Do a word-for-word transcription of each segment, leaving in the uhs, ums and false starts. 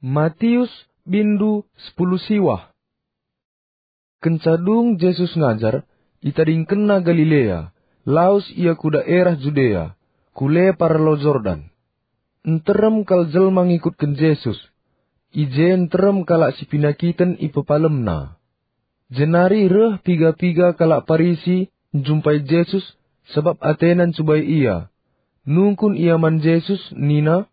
Matius, bindu sepuluh siwah. Kenca dung Jesus ngajar, itadingkenNa Galilea, lawes Ia ku daerah Judea, ku lepar Lau Jordan. Nterem kal jelma ngikutken Jesus. I je nterem kalak si penakiten ipepalemNa. Jenari reh piga-piga kalak Parisi njumpai Jesus, sabap atena ncubai Ia. Nungkun ia man Jesus nina,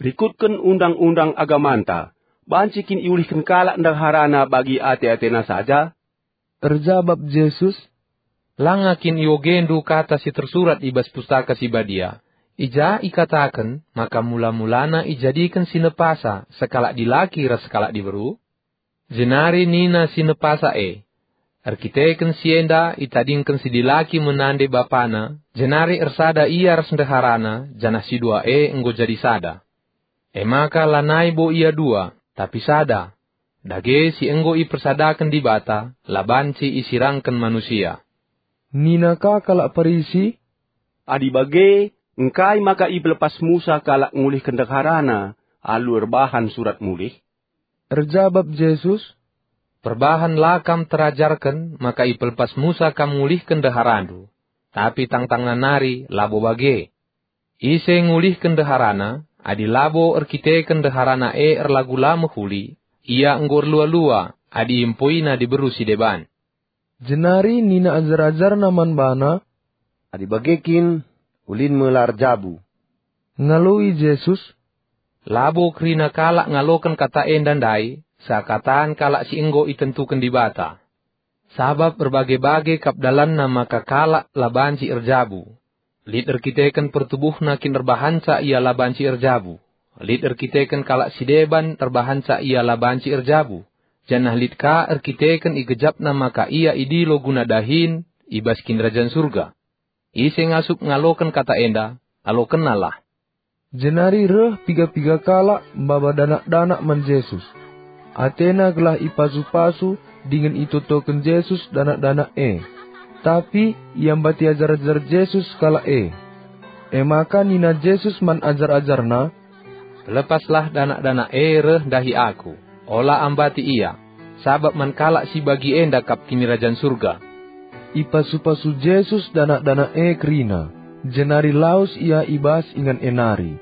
"Rikutken undang-undang agamanta, banci kin iulihken kalak ndeharana bagi ate-atena saja?" Erjabap Jesus, "Langa kin iogendu kata si tersurat i bas Pustaka Si Badia, i ja ikataken maka mula-mulana ijadiken si nepasa sekalak dilaki ras sekalak diberu?" Jenari nina si nepasa e, "Erkiteken si enda itadingken si dilaki me nande bapana, jenari ersada ia ras ndeharana, janah si dua e enggo jadi sada." E maka lanai bo ia dua, tapi sada. Dage si enggo ipersadaken Dibata, la banci isirangken manusia. Nina ka kalak Parisi, "Adi bage, engkai maka ipelepas Musa kalak ngulihken ndeharana alu erbahan surat mulih?" Erjabap Jesus, "Perbahan la kam terajarken maka ipelepas Musa kam ngulihken ndeharandu, tapi tangtangna nari labo bage. Ise ngulihken ndeharana, adi labo erkiteken ndeharana e erlagu la mehuli, ia enggo erlua-lua adi iempoina diberu si deban." Jenari nina ajar-ajarNa man baNa, "Adi bage kin, ulin me la erjabu." Ngaloi Jesus, "Labo kerina kalak ngaloken kata enda ndai, seakatan kalak si enggo itentuken Dibata. Sabap erbage-bage kap dalanna maka kalak la banci erjabu. Lit erkiteken pertubuhna kin erbahanca ia la banci erjabu. Lit erkiteken kalak si deban erbahanca ia la banci erjabu. Janah lit ka erkiteken igejapna maka ia idilo guna dahin i bas Kinirajan Surga. Ise ngasup ngaloken kata enda, alokennalah." Jenari reh piga-piga kalak maba danak-danak man Jesus. Atena gelah ipasu-pasu dingen itotoken Jesus danak-danak e. Tapi iambati ajar-ajar Jesus kalak e. E maka nina Jesus man ajar-ajarNa, "Pelepaslah danak-danak e reh ndahi Aku. Ola ambati ia, sabap man kalak si bagi enda kap Kinirajan Surga." Ipasu-pasu Jesus danak-danak e kerina, jenari lawes ia i bas ingan e nari.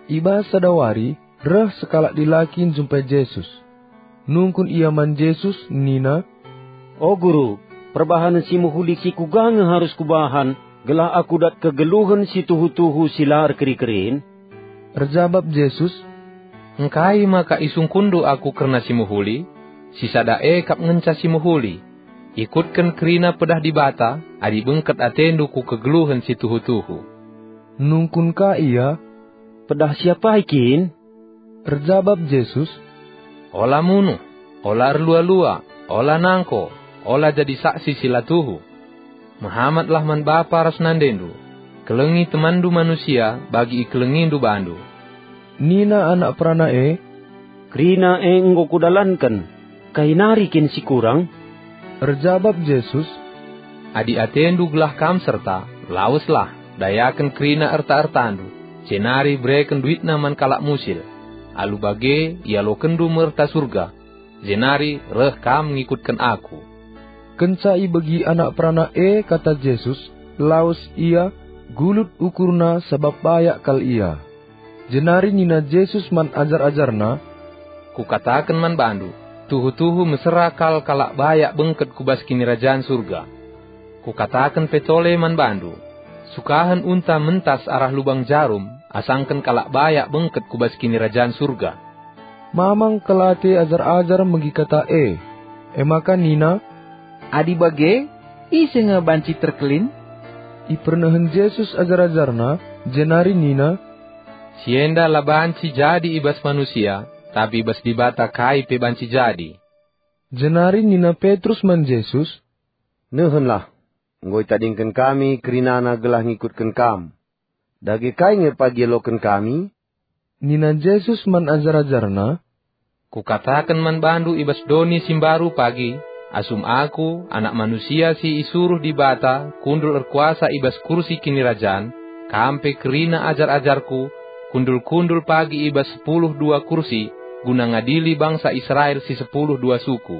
I bas sada wari, reh sekalak dilaki njumpai Jesus. Nungkun ia man Jesus nina, "O Guru, perbahanen si mehuli si kuga nge arus kubahan gelah aku dat kegeluhen si tuhu-tuhu si la erkeri-kerin?" Erjabap Jesus, "Engkai maka isungkunndu Aku kerna si mehuli? Si sada e kap ngenca si mehuli. Ikutken kerina pedah Dibata, adi bengket atendu ku kegeluhen si tuhu-tuhu." Nungkun ka ia, "Pedah si apai kin?" Erjabap Jesus, "Ola munuh, ola erlua-lua, ola nangko, ola jadi saksi si la tuhu. Mehamatlah man bapa ras nandendu. Kelengi temanndu manusia bagi ikelengindu bandu." Nina anak perana e, "Kerina e enggo kudalanken. Kai nari kin si kurang?" Erjabap Jesus, "Adi atendu gelah kam serta, laweslah, dayaken kerina erta-ertandu, jenari bereken duitna man kalak musil. Alu bage ialokenndu me erta Surga, jenari reh kam ngikutken Aku." Kenca ibegi anak perana e kata Jesus, lawes ia, gulut ukurna sabap bayak kal ia. Jenari nina Jesus man ajar-ajarNa, "Kukataken man bandu, tuhu-tuhu mesera kal kalak bayak bengket ku bas Kinirajan Surga. Kukataken pe tole man bandu, sukahen unta mentas arah lubang jarum asangken kalak bayak bengket ku bas Kinirajan Surga." Mamang kal ate ajar-ajar megi kata e, e maka nina, "Adi bage, ise nge banci terkelin?" Ipernehen Jesus ajar-ajarNa, jenari nina, "Si enda la banci jadi i bas manusia, tapi i bas Dibata kai pe banci jadi." Jenari nina Petrus man Jesus, "Nehenlah, enggo itadingken kami kerinana gelah ngikutken Kam. Dage kai nge pagi ialoken kami?" Nina Jesus man ajar-ajarNa, "Kukataken man bandu i bas doni si mbaru pagi, asum Aku, Anak Manusia si isuruh Dibata, kundul erkuasa i bas kursi kinirajan, kam pe kerina ajar-ajarKu, kundul-kundul pagi i bas sepuluh dua kursi guna ngadili bangsa Israel si sepuluh dua suku.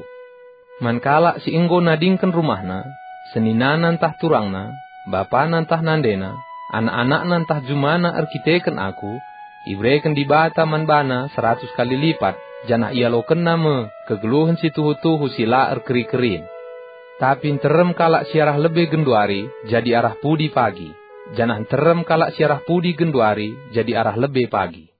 Man kalak si enggo nadingken rumahna, seninana ntah turangna, bapana ntah nandena, anak-anakna ntah jumana erkiteken aku, ibereken Dibata man bana seratus kali lipat, janah ialokenna me kegeluhen si tuhu-tuhu si la erkeri-kerin. Tapi nterem kalak si arah lebe genduari jadi arah pudi pagi, janah nterem kalak si arah pudi genduari jadi arah lebe pagi.